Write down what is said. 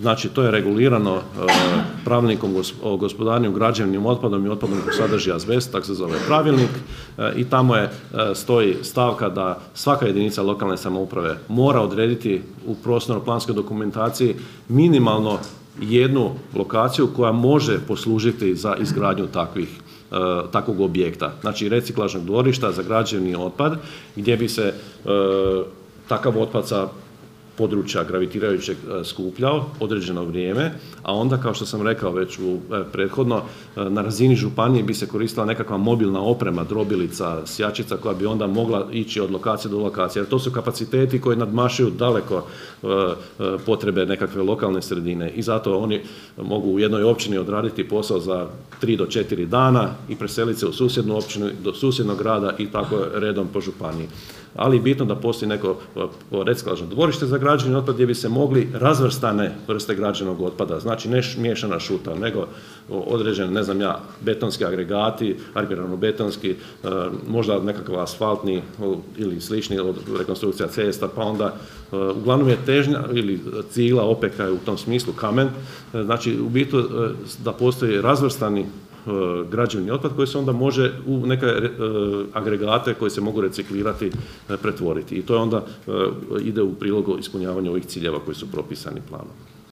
Znači, to je regulirano pravilnikom o gospodarenju građevnim otpadom i otpadom koji sadrži azbest, tako se zove pravilnik, i tamo stoji stavka da svaka jedinica lokalne samouprave mora odrediti u prostorno-planskoj dokumentaciji minimalno jednu lokaciju koja može poslužiti za izgradnju takvog objekta. Znači, reciklažnog dvorišta za građevni otpad, gdje bi se takav otpad sa područja gravitirajućeg skupljao određeno vrijeme, a onda, kao što sam rekao već prethodno, na razini županije bi se koristila nekakva mobilna oprema, drobilica, sjačica, koja bi onda mogla ići od lokacije do lokacije, jer to su kapaciteti koji nadmašuju daleko potrebe nekakve lokalne sredine i zato oni mogu u jednoj općini odraditi posao za 3 do 4 dana i preseliti se u susjednu općinu, do susjednog grada i tako redom po županiji. Ali je bitno da postoji neko reciklažno dvorište za građevni otpad gdje bi se mogli razvrstane vrste građevnog otpada, znači ne miješana šuta, nego određeni, ne znam ja, betonski agregati, armirano-betonski, možda nekakav asfaltni ili slični od rekonstrukcija cesta, pa onda uglavnom je težnja ili cigla, opeka je u tom smislu, kamen, znači u biti da postoji razvrstani građevni otpad koji se onda može u neke agregate koji se mogu reciklirati pretvoriti. I to je onda ide u prilogu ispunjavanja ovih ciljeva koji su propisani planom.